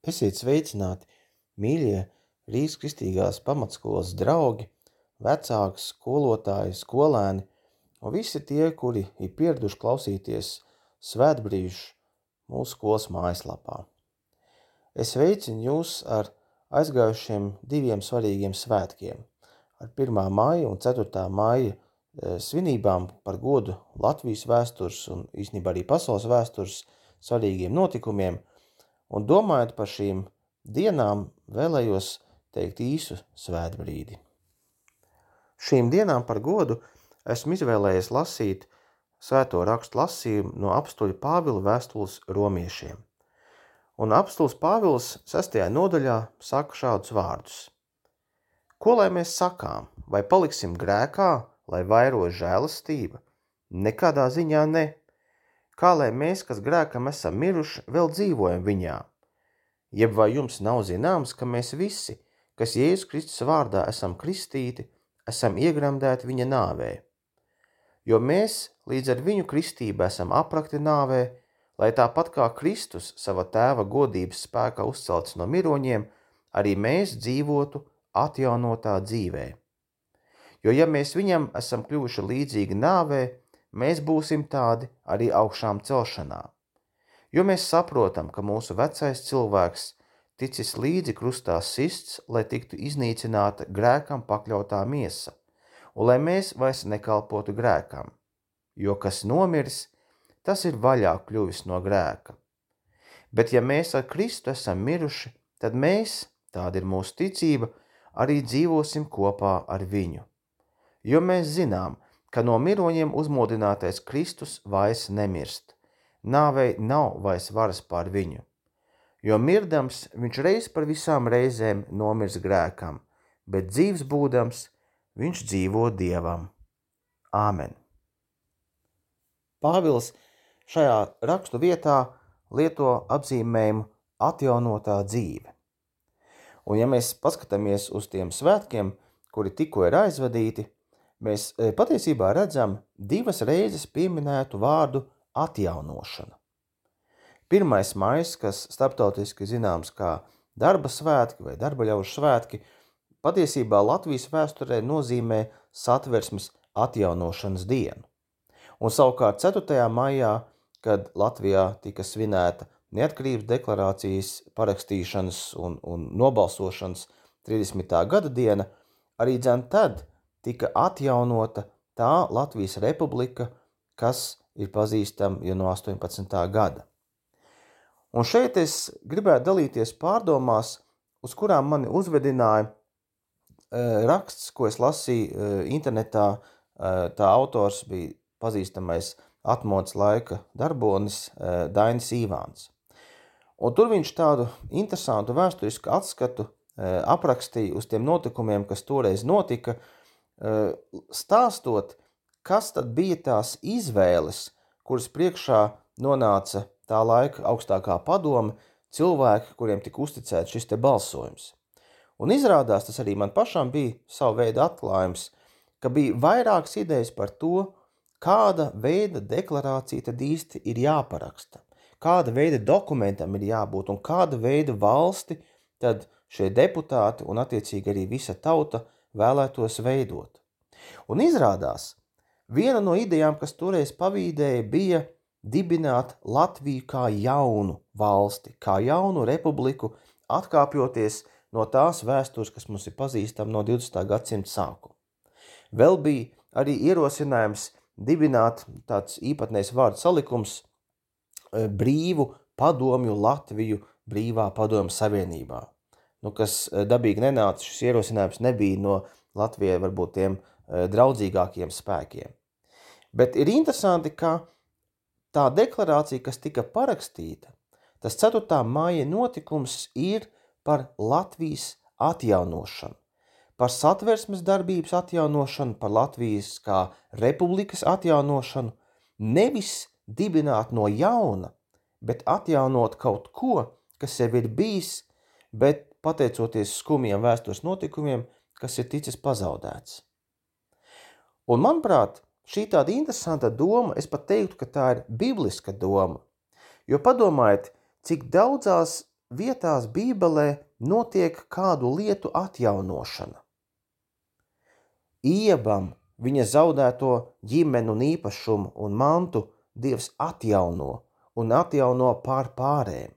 Esiet sveicināti, mīļie Rīgas kristīgās pamatskolas draugi, vecāki, skolotāji, skolēni un visi tie, kuri ir pieraduši klausīties svētbrīžu mūsu skolas mājaslapā. Es veicinu jūs ar aizgājušiem 2 svarīgiem svētkiem, ar 1. maija un 4. maija svinībām par godu Latvijas vēstures un īstenībā arī pasaules vēstures svarīgiem notikumiem, un domājot par šīm dienām, vēlējos teikt īsu svētbrīdi. Šīm dienām par godu esmu izvēlējies lasīt svēto rakstu lasījumu no apstuļa Pāvila vēstules romiešiem. Un apstulis Pāvils 6. nodaļā saka šādus vārdus. Ko lai mēs sakām? Vai paliksim grēkā, lai vairo žēlastība? Nekādā ziņā ne. Kā lai mēs, kas grēkam esam miruši, vēl dzīvojam viņā? Jeb vai jums nav zināms, ka mēs visi, kas Jēzus Kristus vārdā esam kristīti, esam iegremdēti viņa nāvē? Jo mēs līdz ar viņu kristību esam aprakti nāvē, lai tāpat kā Kristus sava tēva godības spēkā uzcelts no miroņiem, arī mēs dzīvotu atjaunotā dzīvē. Jo ja mēs viņam esam kļuvuši līdzīgi nāvē, mēs būsim tādi arī augšām celšanā. Jo mēs saprotam, ka mūsu vecais cilvēks ticis līdzi krustā sists, lai tiktu iznīcināta grēkam pakļautā miesa, un lai mēs vairs nekalpotu grēkam. Jo kas nomiris, tas ir vaļā kļuvis no grēka. Bet ja mēs ar Kristu esam miruši, tad mēs, tāda ir mūsu ticība, arī dzīvosim kopā ar viņu. Jo mēs zinām, ka no miroņiem uzmodinātais Kristus vairs nemirst. Nāvei nav vairs varas pār viņu. Jo mirdams viņš reiz par visām reizēm nomirs grēkam, bet dzīvs būdams viņš dzīvo Dievam. Āmen. Pāvils šajā rakstu vietā lieto apzīmējumu atjaunotā dzīve. Un ja mēs paskatāmies uz tiem svētkiem, kuri tikko ir aizvadīti, mēs patiesībā redzam 2 reizes pieminētu vārdu atjaunošana. 1. maijs, kas starptautiski zināms kā darba svētki vai darba ļaužu svētki, patiesībā Latvijas vēsturē nozīmē Satversmes atjaunošanas dienu. Un savukārt 4. maijā, kad Latvijā tika svinēta neatkarības deklarācijas parakstīšanas un nobalsošanas 30. gada diena, arī tad tika atjaunota tā Latvijas republika, kas ir pazīstama jau no 18. gada. Un šeit es gribētu dalīties pārdomās, uz kurām mani uzvedināja raksts, ko es lasīju internetā. Tā autors bija pazīstamais atmodas laika darbonis Dainis Īvāns. Un tur viņš tādu interesantu vēsturisku atskatu aprakstīja uz tiem notikumiem, kas toreiz notika, stāstot, kas tad bija tās izvēles, kuras priekšā nonāca tā laika augstākā padome, cilvēki, kuriem tika uzticēts šis te balsojums. Un izrādās, tas arī man pašam bija savu veidu atklājums, ka bija vairākas idejas par to, kāda veida deklarācija tad īsti ir jāparaksta, kāda veida dokumentam ir jābūt un kāda veida valsti tad šie deputāti un attiecīgi arī visa tauta vēlētos veidot. Un izrādās, viena no idejām, kas toreiz pavīdēja, bija dibināt Latviju kā jaunu valsti, kā jaunu republiku, atkāpjoties no tās vēstures, kas mums ir pazīstama no 20. gadsimta sākuma. Vēl bija arī ierosinājums dibināt tāds īpatnējs vārdu salikums brīvu padomju Latviju brīvā padomju savienībā. Kas dabīgi nenāca, šis ierosinājums nebija no Latvijai varbūt tiem draudzīgākiem spēkiem. Bet ir interesanti, ka tā deklarācija, kas tika parakstīta, tas 4. maija notikums ir par Latvijas atjaunošanu, par Satversmes darbības atjaunošanu, par Latvijas kā republikas atjaunošanu, nevis dibināt no jauna, bet atjaunot kaut ko, kas jau ir bijis, bet pateicoties skumjiem vēstures notikumiem, kas ir ticis pazaudēts. Un manuprāt, šī tāda interesanta doma, es pat teiktu, ka tā ir bibliska doma, jo padomājiet, cik daudzās vietās Bībelē notiek kādu lietu atjaunošana. Iebam viņa zaudēto ģimeni un īpašumu un mantu Dievs atjauno un atjauno pār pārēm.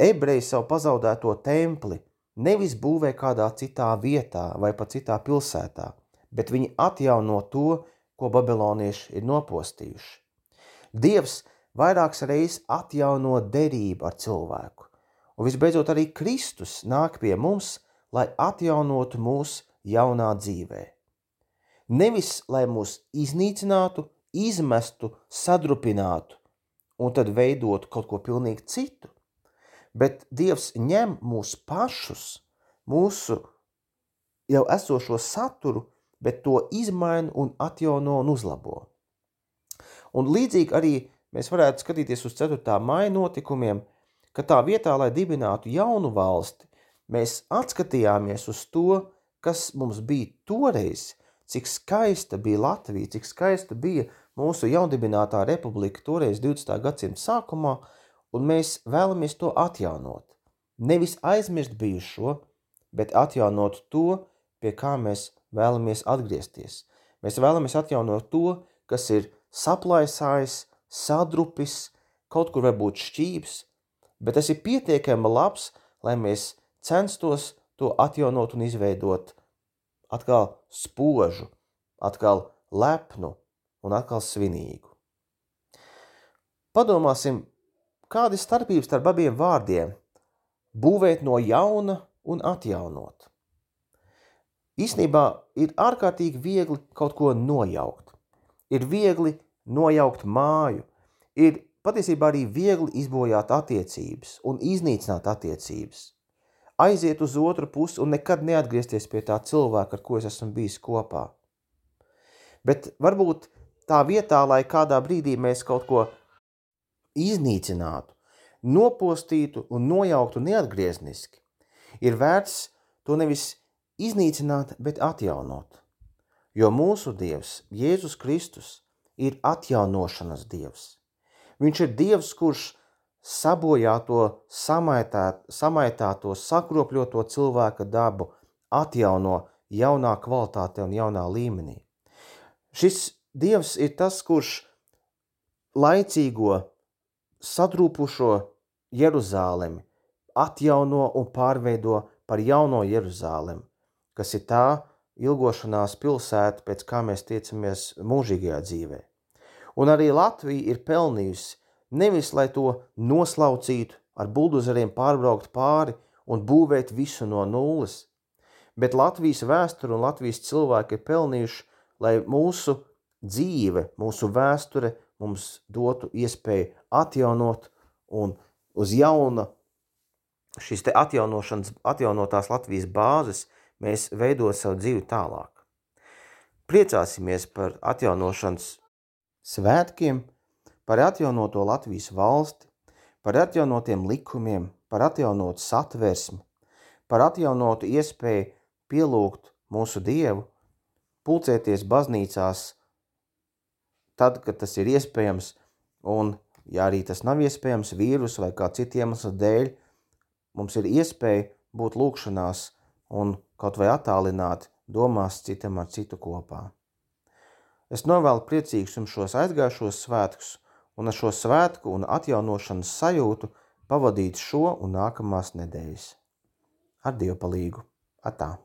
Ebreji savu pazaudēto templi nevis būvē kādā citā vietā vai pat citā pilsētā, bet viņi atjauno to, ko babilonieši ir nopostījuši. Dievs vairākas reizes atjauno derību ar cilvēku, un visbeidzot arī Kristus nāk pie mums, lai atjaunotu mūs jaunā dzīvē. Nevis, lai mūs iznīcinātu, izmestu, sadrupinātu un tad veidotu kaut ko pilnīgi citu, bet Dievs ņem mūs pašus, mūsu jau esošo saturu, bet to izmaina un atjauno un uzlabo. Un līdzīgi arī mēs varētu skatīties uz 4. maija notikumiem, ka tā vietā, lai dibinātu jaunu valsti, mēs atskatījāmies uz to, kas mums bija toreiz, cik skaista bija Latvija, cik skaista bija mūsu jaundibinātā republika toreiz 20. gadsimta sākumā, un mēs vēlamies to atjaunot. Nevis aizmirst bijušo, bet atjaunot to, pie kā mēs vēlamies atgriezties. Mēs vēlamies atjaunot to, kas ir saplaisājis, sadrupis, kaut kur varbūt šķības, bet tas ir pietiekami labs, lai mēs censtos to atjaunot un izveidot atkal spožu, atkal lepnu un atkal svinīgu. Padomāsim, kāda ir starpības starp abiem vārdiem – būvēt no jauna un atjaunot. Īstenībā ir ārkārtīgi viegli kaut ko nojaukt. Ir viegli nojaukt māju, ir patiesībā arī viegli izbojāt attiecības un iznīcināt attiecības. Aiziet uz otru pusi un nekad neatgriezties pie tā cilvēka, ar ko es esmu bijis kopā. Bet varbūt tā vietā, lai kādā brīdī mēs kaut ko iznīcinātu, nopostītu un nojauktu neatgriezniski, ir vērts to nevis iznīcināt, bet atjaunot. Jo mūsu Dievs, Jēzus Kristus, ir atjaunošanas Dievs. Viņš ir Dievs, kurš sabojāto, samaitāto, sakropļoto cilvēka dabu atjauno jaunā kvalitāte un jaunā līmenī. Šis Dievs ir tas, kurš laicīgo, sadrūpušo Jeruzālemi atjauno un pārveido par jauno Jeruzālemi, kas ir tā ilgošanās pilsēta, pēc kā mēs tiecamies mūžīgajā dzīvē. Un arī Latvija ir pelnījusi nevis, lai to noslaucītu, ar buldozeriem pārbraukt pāri un būvēt visu no nulles, bet Latvijas vēsture un Latvijas cilvēki ir pelnījuši, lai mūsu dzīve, mūsu vēsture mums dotu iespēju atjaunot un uz jauna šīs te atjaunotās Latvijas bāzes mēs veidot savu dzīvi tālāk. Priecāsimies par atjaunošanas svētkiem, par atjaunoto Latvijas valsti, par atjaunotiem likumiem, par atjaunotu satversmi, par atjaunotu iespēju pielūgt mūsu Dievu, pulcēties baznīcās tad, kad tas ir iespējams, un, ja arī tas nav iespējams vīrusu vai kā citu iemeslu dēļ, mums ir iespēja būt lūgšanās un kaut vai attālināt domās citam ar citu kopā. Es novēlu priecīgus jums šos aizgājušos svētkus un ar šo svētku un atjaunošanas sajūtu pavadīt šo un nākamās nedēļas. Ar Dievu palīgu. Atā!